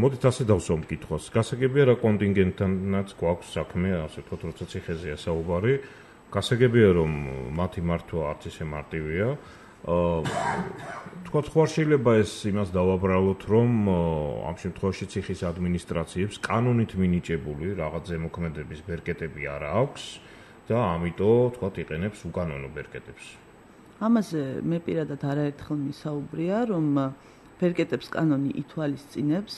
მოდით ასე დავსვამ კითხვას. გასაგებია რა კონტინგენტთანაც გვაქვს საქმე, ასე ვთქვათ, როცა ციხეზეა საუბარი. გასაგებია რომ მათი მართვა არც ისე მარტივია. თქვათ, ხო არ შეიძლება ეს იმას დავაბრალოთ, რომ ამ შემთხვევაში ციხის ადმინისტრაციებს კანონით მინიჭებული რაღაც ზემოქმედების ბერკეტები არ აქვს და ამიტომ, თქვათ, იყენებს უკანონო ბერკეტებს. ამაზე მე პირადად არაერთხელ მისაუბრია, რომ ბერკეტებს კანონი ითვალისწინებს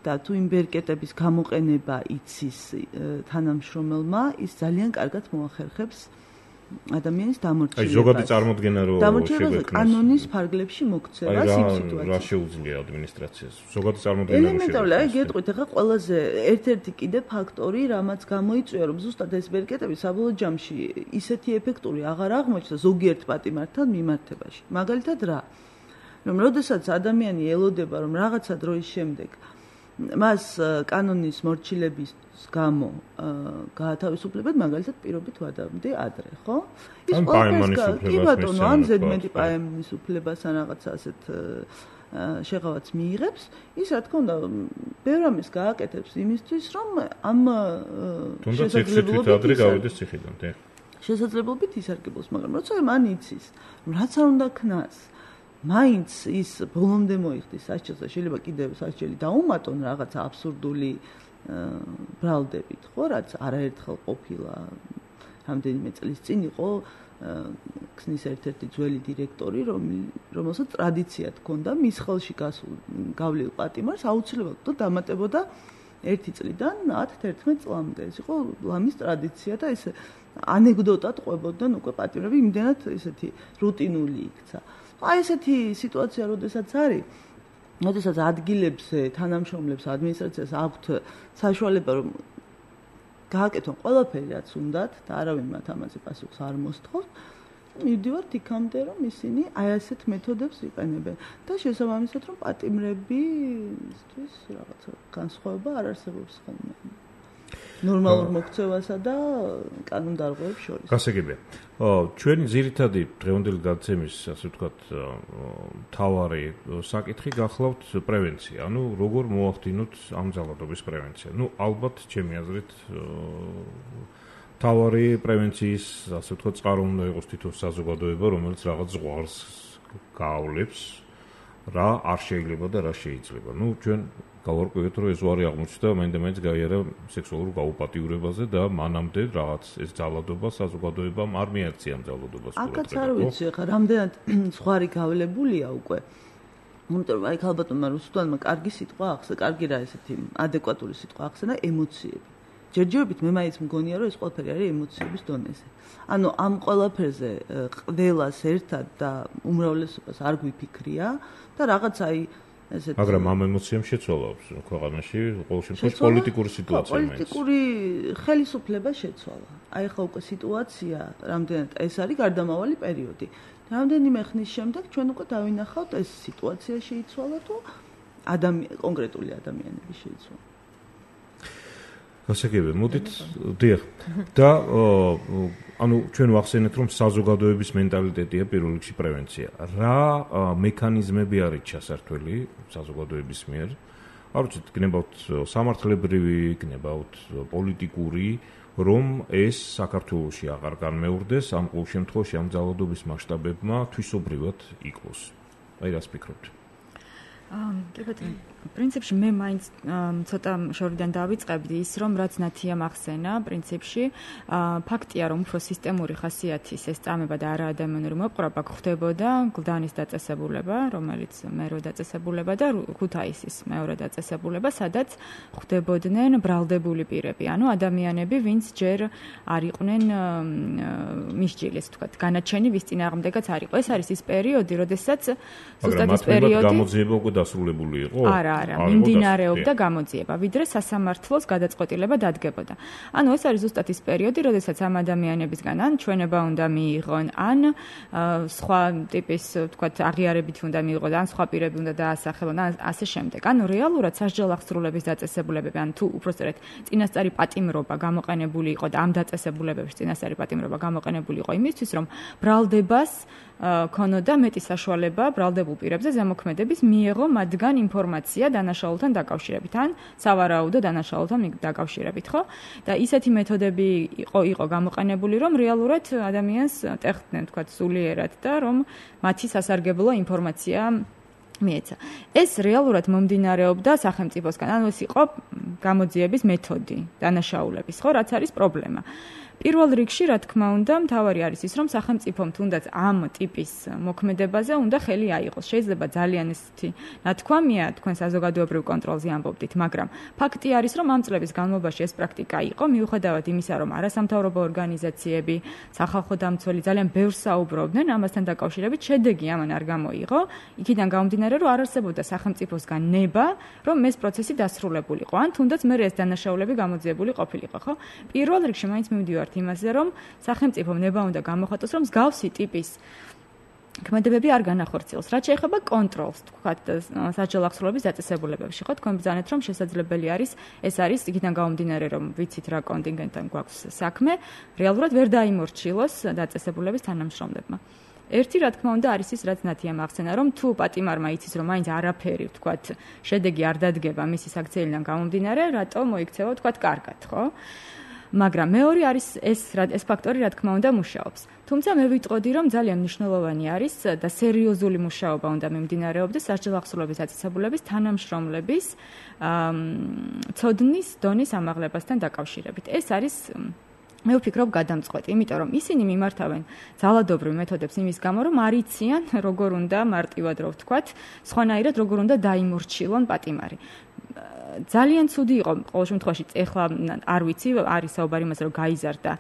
და თუ იმ ბერკეტების გამოყენება იცის თანამშრომელმა, ის ძალიან კარგად მოახერხებს ადამიანის დამორჩილებას. აი ზოგადი წარმოდგენა რო შეგვექნას კანონის ფარგლებში მოქცევას იმ სიტუაციებში. რა შეუძლია ადმინისტრაციას? ზოგადი წარმოდგენა რო ელემენტარული, აი გეტყვით, ახლა ყველაზე ერთ-ერთი კიდე ფაქტორი, რამაც გამოიწვია, რომ ზუსტად ეს ბერკეტები საბოლოო ჯამში ისეთი ეფექტური აღარ აღმოჩნდა ზოგიერთ პატიმართან მიმართებაში. მაგალითად რა? რომ როდესაც ადამიანი ელოდება, რომ რაღაცა დროის შემდეგ მას კანონის მორჩილების გამო გაათავისუფლებად, მაგალითად პირობით ვადამდე ადრე, ხო? ის ყველაფერს კი ბატონო, ან ზედმეტი პაემის უფლებას ან რაღაცა ასეთ შეღავაც მიიღებს, ის რა თქმა უნდა, ბევრ ამის გააკეთებს იმისთვის, რომ ამ შესაძლებლობით ადრე გავიდეს ციხიდან, შესაძლებლობით ისარგებლოს, მაგრამ როცა მან იცის, რაც არ უნდა ქნას, მაინც ის ბოლომდე მოიხდის სასჯელს და შეიძლება კიდევ სასჯელი დაუმატონ რაღაც აბსურდული ბრალდებით, ხო, რაც არაერთხელ ყოფილა. რამდენიმე წლის წინ იყო ქსნის ერთ-ერთი ძველი დირექტორი, რომელსაც ტრადიცია ჰქონდა მის ხელში გავლილ პატიმარს აუცილებლად დამატებოდა 1 წლიდან 10-11 წლამდე. ეს იყო ლამის ტრადიცია და ეს ანეკდოტად ყვებოდნენ უკვე პატიმრები, იმდენად ესეთი რუტინული იქცა. აი ესეთი სიტუაცია როდესაც არის, როდესაც ადგილებზე თანამშრომლებს ადმინისტრაციას აქვთ საშუალება რომ გააკეთონ ყველაფერი რაც უნდათ და არავინ მათ ამაზე პასუხს არ მოსთხოვს, მივდივართ იქამდე რომ ისინი აი ასეთ მეთოდებს იყენებენ და შესაბამისად რომ პატიმრები ისთვის რაღაცა განსხვავება არ არსებობს ხოლმე ნორმალურ მოქცევასა და კანონდარღვევებს შორის. გასაგებია. ჩვენი ძირითადი დღევანდელი გადაცემის, ასე ვთქვათ, მთავარი საკითხი გახლავთ პრევენცია. ანუ როგორ მოახდინოთ ამ ძალადობის პრევენცია. ალბათ, ჩემი აზრით, მთავარი პრევენციის, ასე ვთქვათ, წყარო უნდა იყოს თვითონ საზოგადოება, რომელიც რაღაც ზღვარს გაავლებს, რა არ შეიძლება და რა შეიძლება. ჩვენ გავარკვევთ, რომ ეს უარი აღმოჩნდა მაინც გაიარა სექსუალურ გაუპატიურებაზე და მანამდე რაღაც ეს ძალადობა საზოგადოებამ არ მიაღწია ამ ძალადობას. აქაც არ ვიცი, ხა რამდენად ზღვარი გავლებულია უკვე. იმიტომ რომ აი ქალბატონმა რუსუდანმა კარგი სიტყვა ახსნა, კარგი რა ესეთი ადეკვატური სიტყვა ახსნა ემოციები. ჯერჯერობით მე მაინც მგონია რომ ეს ყველაფერი არის ემოციების დონეზე. ანუ ამ ყველაფერზე ყველას ერთად და უმრავლესობას არ გვიფიქრია და რაღაც აი მაგრამ ამ ემოციამ შეცვალა ქვეყანაში ყოველ შემთხვევაში პოლიტიკური სიტუაცია მაინც. პოლიტიკური ხელისუფლება შეცვალა. აი ხა უკვე სიტუაცია რამდენად ეს არის გარდამავალი პერიოდი. რამდენიმე ხნის შემდეგ ჩვენ უკვე დავინახავთ ეს სიტუაცია შეიცვალა თუ კონკრეტული ადამიანები შეიცვალა. გასაგებია, მოდით დიახ. და ანუ ჩვენ ვახსენეთ რომ საზოგადოების მენტალიტეტია პირველ რიგში პრევენცია. რა მექანიზმები არის ჩასართველი საზოგადოების მიერ? არ ვიცით, გნებავთ სამართლებრივი, გნებავთ პოლიტიკური, რომ ეს საქართველოში აღარ განმეორდეს, ამ ყოველ შემთხვევაში ამ ძალადობის მასშტაბებმა თვისობრივად იკლოს. აი რას ფიქრობთ? კი ბატონო, პრინციპში მე მაინც ცოტა შორიდან დავიწყებდი ის რომ რაც ნათია მახსენა პრინციპში ფაქტია რომ უფრო სისტემური ხასიათის ეს წამება და არა ადამიანური მოპყრობა გვხდებოდა გლდანის დაწესებულება რომელიც მერვე დაწესებულება და ქუთაისის მეორე დაწესებულება სადაც გვხდებოდნენ ბრალდებული პირები ანუ ადამიანები ვინც ჯერ არ იყვნენ მისჯილი ასე ვთქვათ განაჩენი ვის წინააღმდეგაც არ იყო ეს არის ის პერიოდი როდესაც ზუსტად ის პერიოდი გამოძიება უკვე დასრულებული იყო არა, მიმდინარეობდა გამოძიება, ვიდრე სასამართლოს გადაწყვეტილება დადგებოდა. ანუ ეს არის ზუსტად ის პერიოდი, როდესაც ამ ადამიანებისგან ან ჩვენება უნდა მიიღონ, ან სხვა ტიპის, ვთქვათ, აღიარებით უნდა მიიღონ, ან სხვა პირები უნდა დაასახელონ, ან ასე შემდეგ. ანუ რეალურად სასჯელ აღსრულების დაწესებულებები, ან თუ უпроსტად წინასწარი პატიმრობა გამოყენებული იყო და ამ დაწესებულებებში წინასწარი პატიმრობა გამოყენებული იყო იმისთვის, რომ ბრალდებას ქონოდა მეტი საშუალება ბრალდებულ პირებზე ზემოქმედების მიეღო მათგან ინფორმაცია დანაშაულთან დაკავშირებით ან სავარაუდო დანაშაულთან დაკავშირებით, ხო? და ისეთი მეთოდები იყო გამოყენებული, რომ რეალურად ადამიანს ტეხდნენ, თქვა, სულიერად და რომ მათი სასარგებლო ინფორმაცია მიეცა. ეს რეალურად მომდინარეობდა სახელმწიფოსგან, ანუ ეს იყო გამოძიების მეთოდი დანაშაულების, ხო, რაც არის პრობლემა. პირველ რიგში, რა თქმა უნდა, მთავარი არის ის, რომ სახელმწიფომ თუნდაც ამ ტიპის მოქმედებაზე უნდა ხელი აიღოს. შეიძლება ძალიან ესეთი ნათქვამია, თქვენ საზოგადოებრივ კონტროლზე ამბობდით, მაგრამ ფაქტი არის, რომ ამ წლების განმავლობაში ეს პრაქტიკა იყო, მიუხედავად იმისა, რომ არასამთავრობო ორგანიზაციები, სახალხო დამცველი ძალიან ბევრს საუბრობდნენ ამასთან დაკავშირებით, შედეგი ამან არ გამოიღო. იქიდან გამომდინარე, რომ არ არსებობდა სახელმწიფოსგან ნება, რომ ეს პროცესი დასრულებულიყო, ან თუნდაც მე ეს დანაშაულები გამოძიებული ყოფილიყო, ხო? პირველ რიგში მაინც მივდივართ იმაზე, რომ სახელმწიფომ ნება უნდა გამოხატოს, რომ მსგავსი ტიპის ქმედებები არ განახორციელოს. რაც შეეხება კონტროლს, თქვათ, სასჯელ აღსრულების დაწესებულებებში, ხო, თქვენ ბრძანეთ, რომ შესაძლებელი არის, ეს არის იქიდან გამომდინარე, რომ ვიცით რა კონტინგენტთან გვაქვს საქმე, რეალურად ვერ დაიმორჩილოს დაწესებულების თანამშრომლებმა. ერთი რა თქმა უნდა არის ის, რაც ნათია მახსენა, რომ თუ პატიმარმა იცის, რომ მაინც არაფერი, თქვათ, შედეგი არ დადგება მისი საქციელიდან გამომდინარე, რატო მოიქცევა, თქვათ, კარგად, ხო? მაგრამ მეორე არის ეს ფაქტორი, რა თქმა უნდა, მუშაობს. თუმცა მე ვიტყოდი, რომ ძალიან მნიშვნელოვანი არის და სერიოზული მუშაობა უნდა მიმდინარეობდეს სასჯელ აღსრულების დაწესებულების თანამშრომლების ცოდნის დონის ამაღლებასთან დაკავშირებით. ეს არის მე ვფიქრობ გადამწყვეტი, იმიტომ რომ ისინი მიმართავენ ძალადობრივ მეთოდებს იმის გამო, რომ არ იციან როგორ უნდა მარტივად რო ვთქვათ, სხვანაირად როგორ უნდა დაიმორჩილონ პატიმარი. ძალიან ცუდი იყო ყოველ შემთხვევაში ეხლა არ ვიცი არის საუბარი იმაზე რომ გაიზარდა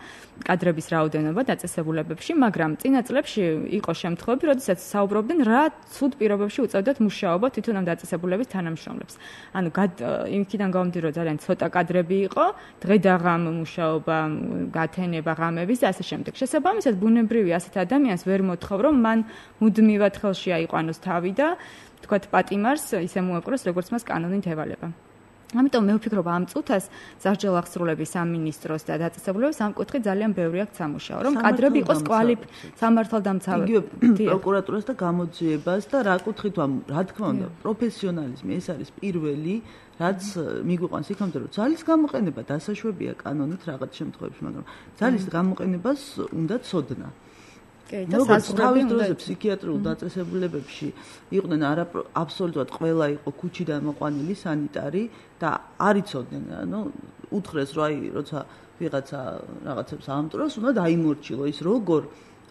კადრების რაოდენობა დაწესებულებებში, მაგრამ წინა წლებში იყო შემთხვევები, როდესაც საუბრობდნენ რა ცუდ პირობებში უწევდათ მუშაობა თვითონ ამ დაწესებულების თანამშრომლებს. ანუ იმიდან გამომდინარე რომ ძალიან ცოტა კადრები იყო, დღე და ღამ მუშაობა, გათენება, ღამების და ასე შემდეგ. შესაბამისად ბუნებრივი ასეთ ადამიანს ვერ მოთხოვ რომ მან მუდმივად ხელში აიყვანოს თავი და თქვათ პატიმარს ისე მოეპყროს როგორც მას კანონით ევალება. ამიტომ მე ვფიქრობ ამ წუთას სასჯელ აღსრულების სამინისტროს და დაწესებულების ამ კუთხით ძალიან ბევრი აქვს სამუშაო, რომ კადრები იყოს სამართალდამცავი. იგივე პროკურატურას და გამოძიებას და რა კუთხით რა თქმა უნდა პროფესიონალიზმი ეს არის პირველი რაც მიგვიყვანს იქამდე რომ ძალის გამოყენება დასაშვებია კანონით რაღაც შემთხვევებში, მაგრამ ძალის გამოყენებას უნდა ცოდნა. თავის დროზე ფსიქიატრიულ დაწესებულებებში იყვნენ აბსოლუტურად ყველა იყო ქუჩიდან მოყვანილი სანიტარი და არ იცოდნენ, ანუ უთხრეს რომ როცა ვიღაცა რაღაცებს აამტვრევს, უნდა დაიმორჩილო ის როგორ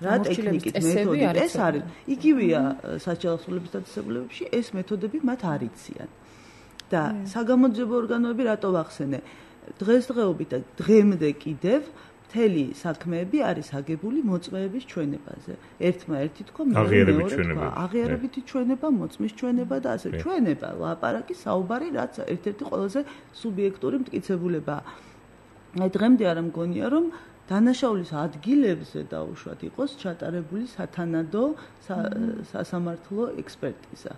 რა ტექნიკით მეთოდით ეს არის. იგივეა სასჯელ აღსრულების დაწესებულებებში ეს მეთოდები მათ არ იციან. და საგამოძიებო ორგანოები რატო ვახსენე? დღესდღეობით და დღემდე კიდევ მთელი საქმეები არის აგებული მოწმეების ჩვენებაზე. ერთმა-ერთი თქვა, აღიარებითი ჩვენება, მოწმის ჩვენება და ასე ჩვენება, ლაპარაკი, საუბარი, რაც ერთ-ერთი ყველაზე სუბიექტური მტკიცებულებაა. აი დღემდე არ მგონია, რომ დანაშაულის ადგილებზე დაუშვათ იყოს ჩატარებული სათანადო სასამართლო ექსპერტიზა.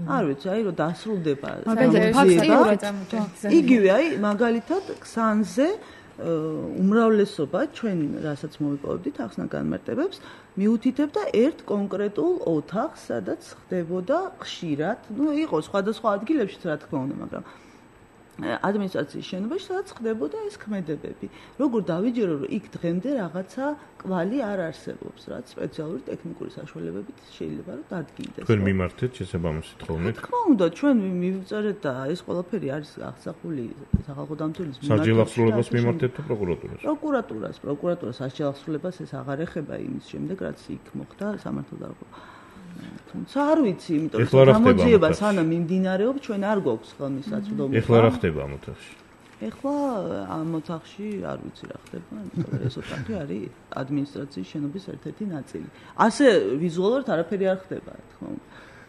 არ ვიცი, აი რომ დასრულდება იგივე, აი მაგალითად ქსანზე უმრავლესობა ჩვენ რასაც მოვიპოვებდით ახსნა განმარტებებს მიუთითებდა ერთ კონკრეტულ ოთახს, სადაც ხდებოდა ხშირად, იყო სხვადასხვა ადგილებშიც რა თქმა უნდა, მაგრამ ადმინისტრაციის შენობაში სადაც ხდებოდა ეს ქმედებები. როგორ დავიჯერო, რომ იქ დღემდე რაღაცა კვალი არ არსებობს, რაც სპეციალური ტექნიკური საშუალებებით შეიძლება რომ დადგინდეს. თქვენ მიმართეთ შესაბამისად ხოლმე? რა თქმა უნდა, ჩვენ მივწერეთ და ეს ყველაფერი არის აღსახული სახალხო დამცველის სასჯელ აღსრულებას მიმართეთ თუ პროკურატურას? პროკურატურას სასჯელ აღსრულებას ეს აღარ ეხება იმის შემდეგ, რაც იქ მოხდა სამართალდამცავი. თუმცა არ ვიცი, იმიტომ რომ გამოძიება სანამ მიმდინარეობს, ჩვენ არ გვაქვს ხელმისაწვდომი. ეხლა რა ხდება ამ ოთახში? ეხლა ამ ოთახში არ ვიცი რა ხდება, იმიტომ რომ ეს ოთახი არის ადმინისტრაციის შენობის ერთ-ერთი ნაწილი. ასე ვიზუალურად არაფერი არ ხდება, რა თქმა უნდა.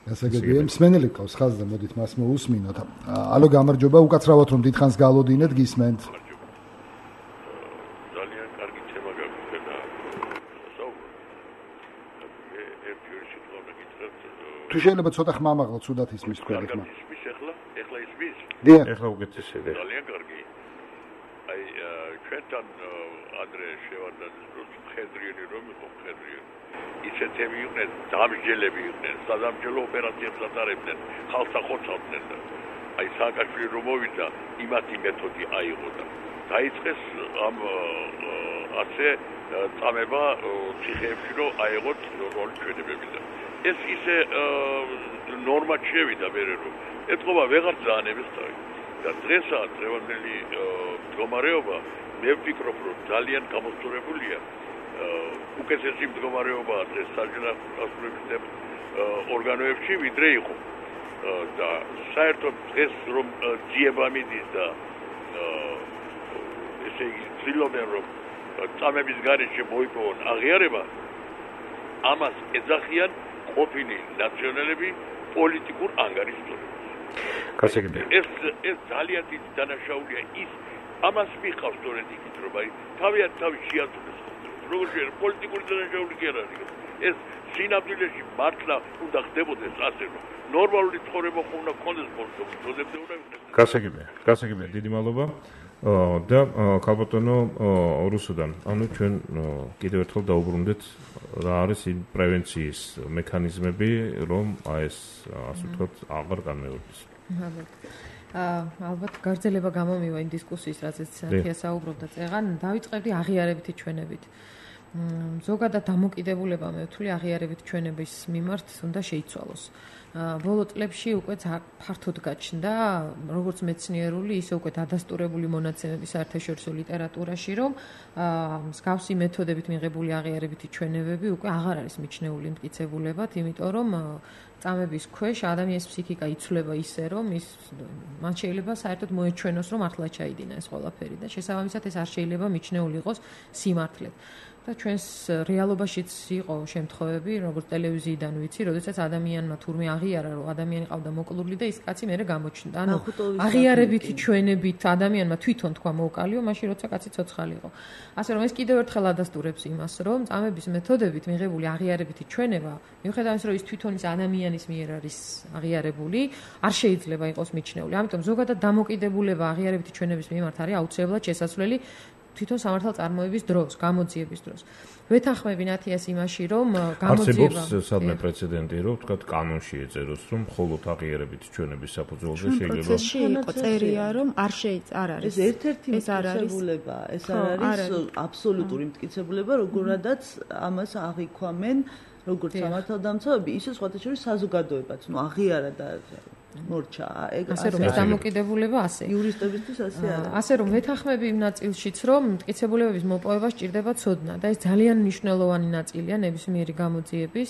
გასაგებია, მსმენელი ყავს ხაზზე, მოდით მას მოусმინოთ. ალო, გამარჯობა, უკაცრავად რომ დიდხანს გალოდინეთ, გისმენთ. თუ შეიძლება ცოტა ხმამაღლა ცუდად ისმის თქვენი ხმა. ეხლა ისმის? დიახ. ეხლა უკეთესია. ძალიან კარგი. აი ჩვენთან ადრე შევარდნაძის დროს მხედრიერი რომ იყო მხედრიერი. ისეთები იყვნენ, დამსჯელები იყვნენ, სადამსჯელო ოპერაციებს ატარებდნენ, ხალხს ახორცავდნენ და აი სააკაშვილი რომ მოვიდა, იმათი მეთოდი აიღო და დაიწყეს ამ ასე წამება ციხეებში რომ აიღოთ როლი ჩვენებები და ეს ისე ნორმად შევიდა მერე რომ ეთყობა ვეღარ ძალიანებს თავი და დღესაც დღევანდელი მდგომარეობა მე ვფიქრობ რომ ძალიან გამოსწორებულია უკეთესი მდგომარეობაა დღეს სასჯელ აღსრულების ორგანოებში ვიდრე იყო და საერთოდ დღეს რომ ძიება მიდის და ესე იგი ცდილობენ რომ წამების გარეშე მოიპოვონ აღიარება ამას ეძახიან ყოფილი ნაციონალები პოლიტიკურ ანგარიშწორებას. ეს ძალიან დიდი დანაშაულია ის ამას მიყავს სწორედ იქით რომ აი თავი შეაწუდეს როგორც პოლიტიკური დანაშაული კი არ არის ეს სინამდვილეში მართლა უნდა ხდებოდეს ასე რომ ნორმალური ცხოვრება უნდა გქონდეს პოლიტიკურებზე უნდა იქნეს. გასაგებია, დიდი მადლობა. და ქალბატონო რუსუდან, ანუ ჩვენ კიდევ ერთხელ დაუბრუნდეთ რა არის იმ პრევენციის მექანიზმები, რომ ეს ასე ვთქვათ აღარ განმეორდეს. ალბათ გარძელება გამომივა იმ დისკუსიის, რაზეც თია საუბრობდა წეღან, დავიწყებდი აღიარებითი ჩვენებით. ზოგადად დამოკიდებულება მე ვთვლი აღიარებით ჩვენების მიმართ უნდა შეიცვალოს. ბოლო წლებში უკვე ფართოდ გაჩნდა როგორც მეცნიერული, ისე უკვე დადასტურებული მონაცემები საერთაშორისო ლიტერატურაში, რომ მსგავსი მეთოდებით მიღებული აღიარებითი ჩვენებები უკვე აღარ არის მიჩნეული მტკიცებულებად, იმიტომ რომ წამების ქვეშ ადამიანის ფსიქიკა იცვლება ისე, რომ მან შეიძლება საერთოდ მოეჩვენოს, რომ მართლა ჩაიდინა ეს ყველაფერი და შესაბამისად ეს არ შეიძლება მიჩნეული იყოს სიმართლედ. და ჩვენს რეალობაშიც იყო შემთხვევები, როგორც ტელევიზიიდან ვიცი, როდესაც ადამიანმა თურმე აღიარა, რომ ადამიანი ყავდა მოკლული და ის კაცი მერე გამოჩნდა. ანუ აღიარებითი ჩვენებით ადამიანმა თვითონ თქვა მოკალიო, მაშინ როცა კაცი ცოცხალი იყო. ასე რომ ეს კიდევ ერთხელ ადასტურებს იმას, რომ წამების მეთოდებით მიღებული აღიარებითი ჩვენება, მიუხედავად იმისა, რომ ის თვითონ ის ადამიანის მიერ არის აღიარებული, არ შეიძლება იყოს მიჩნეული. ამიტომ ზოგადად დამოკიდებულება აღიარებითი ჩვენების მიმართ არის აუცილებლად შესაძლებელი თვითონ სამართალ წარმოების დროს, გამოძიების დროს. ვეთანხმები ნათიას იმაში, რომ გამოძიება არსებობს სადმე პრეცედენტი, რომ თქვა კანონში ეწეროს, რომ მხოლოდ აღიარებითი ჩვენების საფუძველზე შეიძლება პროცესში იყო წერია, რომ არ არის. ეს ერთ-ერთი მტკიცებულება, ეს არ არის აბსოლუტური მტკიცებულება, როგორადაც ამას აღიქვამენ როგორც სამართალდამცავები, ისე სხვათა შორის საზოგადოებაც, აღიარა და მორჩა. ასე რომ ეს დამოკიდებულება ასე. იურისტებისთვის ასე არის. ასე რომ ვეთანხმები იმ ნაწილშიც, რომ მტკიცებულებების მოპოვება სჭირდება ცოდნა და ეს ძალიან მნიშვნელოვანი ნაწილია ნებისმიერი გამოძიების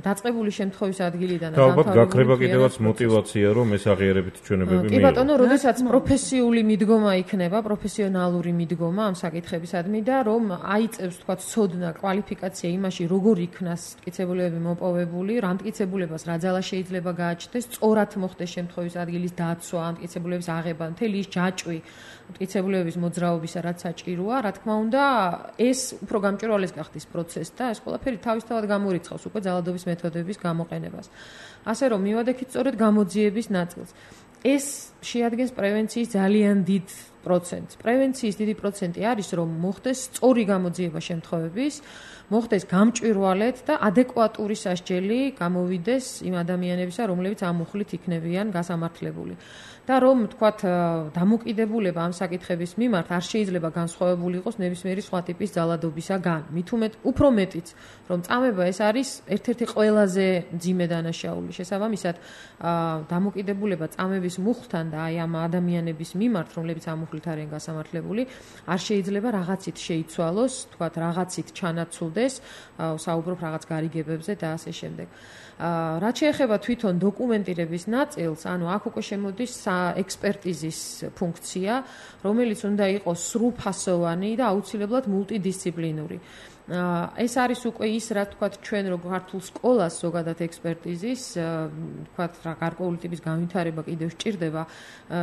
დაწყებული შემთხვევის ადგილიდან და ალბათ გაქრება კიდევაც мотиваცია, რომ ეს აღიარებითი ჩვენებები მიიღო. კი ბატონო, როდესაც პროფესიული მიდგომა იქნება, პროფესიონალური მიდგომა ამ საკითხებისადმი და რომ აიწევს თქვა ცოდნა, კვალიფიკაცია იმაში, როგორ იქნას მტკიცებულებები მოპოვებული, რა მტკიცებულებას რა ძალა შეიძლება გააჩნდეს, სწორად მოხდეს შემთხვევის ადგილის დაცვა, მტკიცებულების აღება, მთელი ის ჯაჭვი მტკიცებულებების მოძრაობისა, რაც საჭიროა, რა თქმა უნდა, ეს უფრო გამჭვირვალეს გახდის პროცესს და ეს ყველაფერი თავისთავად გამორიცხავს უკვე ძალადობის მეთოდების გამოყენებას. ასე რომ მივადექით სწორედ გამოძიების ნაწილს. ეს შეადგენს პრევენციის ძალიან დიდ პროცენტს. პრევენციის დიდი პროცენტი არის, რომ მოხდეს სწორი გამოძიება შემთხვევების, მოხდეს გამჭვირვალედ და ადეკვატური სასჯელი გამოვიდეს იმ ადამიანებისა, რომლებიც ამ მუხლით იქნებიან გასამართლებული. და რომ თქვათ დამოკიდებულება ამ საკითხების მიმართ არ შეიძლება განსხვავებული იყოს ნებისმიერი სხვა ტიპის ძალადობისაგან. მით უმეტ უფრო მეტიც, რომ წამება ეს არის ერთ-ერთი ყველაზე მძიმე დანაშაული. შესაბამისად, დამოკიდებულება წამების მუხლთან და აი ამ ადამიანების მიმართ, რომლებიც ამ მუხლით არიან გასამართლებული, არ შეიძლება რაღაცით შეიცვალოს, თქვათ რაღაცით ჩანაცვლდეს, საუბრობ რაღაც გარიგებებზე და ასე შემდეგ. რაც შეეხება თვითონ დოკუმენტირების ნაწილს, ანუ აქ უკვე შემოდის ექსპერტიზის ფუნქცია, რომელიც უნდა იყოს სრულფასოვანი და აუცილებლად მულტიდისციპლინური. ეს არის უკვე ის, რა თქვათ, ჩვენ რო ქართულ სკოლას ზოგადად ექსპერტიზის, თქვათ, რა გარკვეული ტიპის განვითარება კიდევ სჭირდება.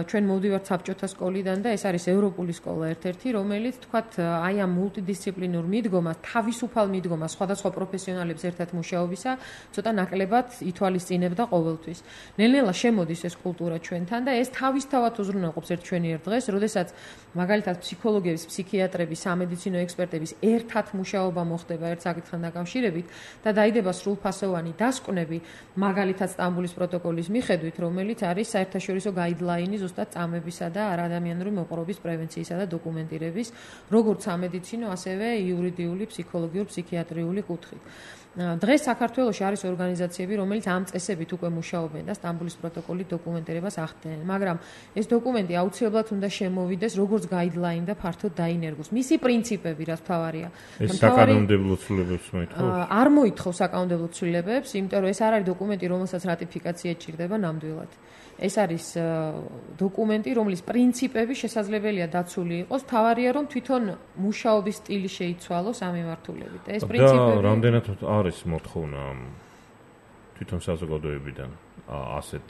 ჩვენ მოვდივართ საბჭოთა სკოლიდან და ეს არის ევროპული სკოლა ერთ-ერთი, რომელიც, თქვათ, აი ამ მულტიდისციპლინურ მიდგომას, თავისუფალ მიდგომას, სხვადასხვა პროფესიონალებს ერთად მუშაობისა, ცოტა ნაკლებად ითვალისწინებდა ყოველთვის. ნელ-ნელა შემოდის ეს კულტურა ჩვენთან და ეს თავისთავად უზრუნველყოფს ერთ ჩვენიერ დღეს, როდესაც მაგალითად ფსიქოლოგების, ფსიქიატრების, სამედიცინო ექსპერტების ერთად მუშაობა მოხდება ერთ საკითხთან დაკავშირებით და დაიდება სრულფასოვანი დასკვნები, მაგალითად სტამბულის პროტოკოლის მიხედვით, რომელიც არის საერთაშორისო გაიდლაინი ზუსტად წამებისა და არაადამიანური მოპყრობის პრევენციისა და დოკუმენტირების, როგორც სამედიცინო, ასევე იურიდიული, ფსიქოლოგიური, ფსიქიატრიული კუთხით. დღეს საქართველოში არის ორგანიზაციები, რომელიც ამ წესებით უკვე მუშაობენ და სტამბულის პროტოკოლის დოკუმენტირებას ახდენენ, მაგრამ ეს დოკუმენტი აუცილებლად უნდა შემოვიდეს როგორც გაიდლაინი და ფართოდ დაინერგოს. მისი პრინციპები, რაც მთავარია. ეს საკანონმდებლო ცვლილებებს მოითხოვს? არ მოითხოვს საკანონმდებლო ცვლილებებს, იმიტომ რომ ეს არ არის დოკუმენტი, რომელსაც რატიფიკაცია ჭირდება ნამდვილად. ეს არის დოკუმენტი, რომლის პრინციპები შესაძლებელია დაცული იყოს, თავარია რომ თვითონ მუშაობის სტილი შეიცვალოს ამ მიმართულებით. ეს პრინციპები და რამდენად არის მოთხოვნა თვითონ საზოგადოებიდან ასეთ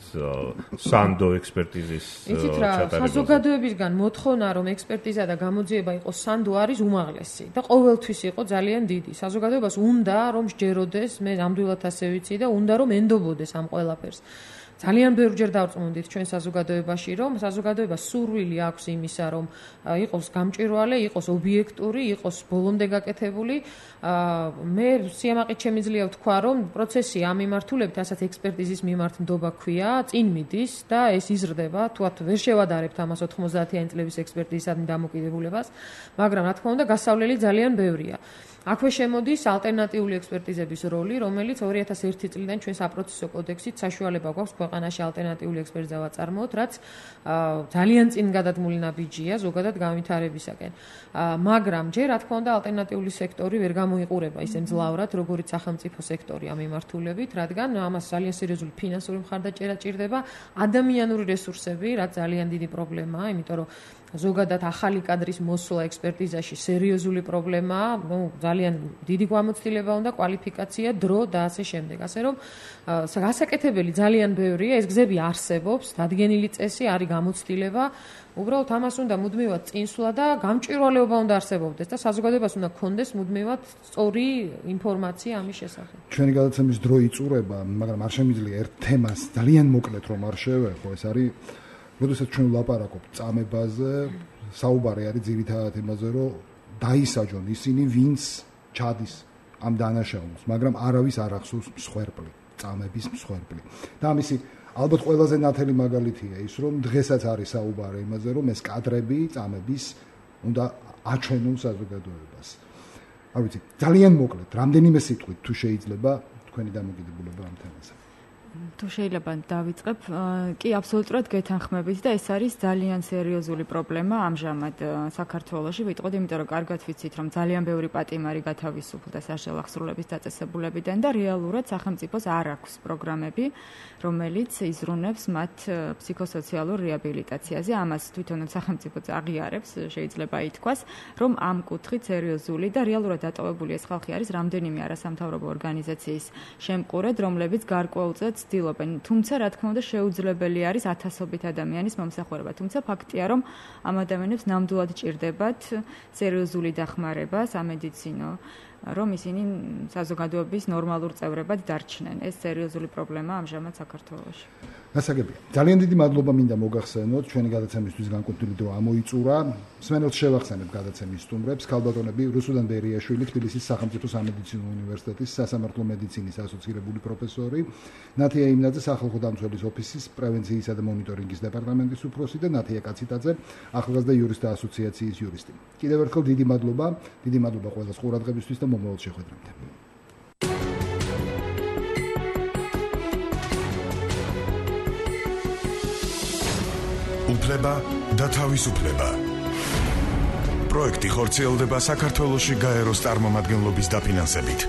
სანდო ექსპერტიზის ჩატარებას? საზოგადოებისგან მოთხოვნა, რომ ექსპერტიზა და გამოძიება იყოს სანდო არის უმაღლესი და ყოველთვის იყო ძალიან დიდი. საზოგადოებას უნდა რომ სჯეროდეს, მე ნამდვილად ასე ვიცი და უნდა რომ ენდობოდეს ამ ყველაფერს. ძალიან ბევრჯერ დავწმუნდით ჩვენ საზოგადოებაში, რომ საზოგადოებას სურვილი აქვს იმისა, რომ იყოს გამჭვირვალე, იყოს ობიექტური, იყოს ბოლომდე გაკეთებული. მე სიამაყით შემიძლია ვთქვა, რომ პროცესი ამ მიმართულებით, ასეთ ექსპერტიზის მიმართ ნდობა ქვია, წინ მიდის და ეს იზრდება, თუათ ვერ შევადარებთ ამას 90-იანი წლების ექსპერტიზისადმი დამოკიდებულებას, მაგრამ რა თქმა უნდა, გასავლელი ძალიან ბევრია. აქვე შემოდის ალტერნატიული ექსპერტიზების როლი, რომელიც 2001 წლიდან ჩვენ საპროცესო კოდექსით საშუალება გვაქვს ქვეყანაში ალტერნატიული ექსპერტიზა ვაწარმოოთ, რაც ძალიან წინ გადადგმული ნაბიჯია ზოგადად განვითარებისაკენ. მაგრამ ჯერ რა თქმა უნდა ალტერნატიული სექტორი ვერ გამოიყურება ისე მძლავრად, როგორც სახელმწიფო სექტორი ამ მიმართულებით, რადგან ამას ძალიან სერიოზული ფინანსური მხარდაჭერა ჭირდება, ადამიანური რესურსები, რაც ძალიან დიდი პრობლემაა, იმიტომ რომ ზოგადად ახალი კადრის მოსვლა ექსპერტიზაში სერიოზული პრობლემაა, ძალიან დიდი გამოცდილება უნდა, კვალიფიკაცია, დრო და ასე შემდეგ. ასე რომ გასაკეთებელი ძალიან ბევრია, ეს გზები არსებობს, დადგენილი წესი არის გამოცდილება, უბრალოდ ამას უნდა მუდმივად წინსვლა და გამჭვირვალეობა უნდა არსებობდეს და საზოგადოებას უნდა გქონდეს მუდმივად სწორი ინფორმაცია ამის შესახებ. ჩვენი გადაცემის დრო იწურება, მაგრამ არ შემიძლია ერთ თემას ძალიან მოკლედ რომ არ შევეხო, ეს არის როდესაც ჩვენ ვლაპარაკობთ წამებაზე, საუბარი არის ძირითადად იმაზე, რომ დაისაჯონ ისინი, ვინც ჩადის ამ დანაშაულს, მაგრამ არავის არ ახსოვს მსხვერპლი, წამების მსხვერპლი. და ამისი ალბათ ყველაზე ნათელი მაგალითია ის, რომ დღესაც არის საუბარი იმაზე, რომ ეს კადრები წამების უნდა აჩვენონ საზოგადოებას. არ ვიცი, ძალიან მოკლედ, რამდენიმე სიტყვით თუ შეიძლება თქვენი დამოკიდებულება ამ თემაზე. თუ შეიძლება დავიწყებ, კი აბსოლუტურად გეთანხმებით და ეს არის ძალიან სერიოზული პრობლემა ამჟამად საქართველოში, ვიტყოდი, იმიტომ რომ კარგად ვიცით, რომ ძალიან ბევრი პატიმარი გათავისუფლდა საშუალო აღსრულების დაწესებულებიდან და რეალურად სახელმწიფოს არ აქვს პროგრამები, რომელიც იზრუნებს მათ ფსიქოსოციალურ რეაბილიტაციაზე. ამას თვითონაც სახელმწიფო აღიარებს, შეიძლება ითქვას, რომ ამ კუთხით სერიოზული და რეალურად დატოვებული ეს ხალხი არის რამდენიმე არასამთავრობო ორგანიზაციის შემყურედ, რომლებიც გარკვეულწილად ცდილობენ, თუმცა რა თქმა უნდა შეუძლებელი არის ათასობით ადამიანის მომსახურება. თუმცა ფაქტია, რომ ამ ადამიანებს ნამდვილად ჭირდებათ სერიოზული დახმარება სამედიცინო, რომ ისინი საზოგადოების ნორმალურ წევრებად დარჩნენ. ეს სერიოზული პრობლემაა ამჟამად საქართველოში. გასაგებია. ძალიან დიდი მადლობა მინდა მოგახსენოთ, ჩვენი გადაცემისთვის განკუთვნილი დრო ამოიწურა. მსმენელს შევახსენებ გადაცემის სტუმრებს, ქალბატონები რუსუდან ბერიაშვილი, თბილისის სახელმწიფო სამედიცინო უნივერსიტეტის სასამართლო მედიცინის ასოცირებული პროფესორი, ნათია იმნაძე, სახალხო დამცველის ოფისის პრევენციისა და მონიტორინგის დეპარტამენტის უფროსი და ნათია კაციტაძე, ახალგაზრდა იურისტთა ასოციაციის იურისტი. კიდევ ერთხელ დიდი მადლობა ყველას ყურადღებისთვის და მომავალ შეხვედრამდე. უფლება და თავისუფლება. პროექტი ხორციელდება საქართველოში გაეროს წარმომადგენლობის დაფინანსებით.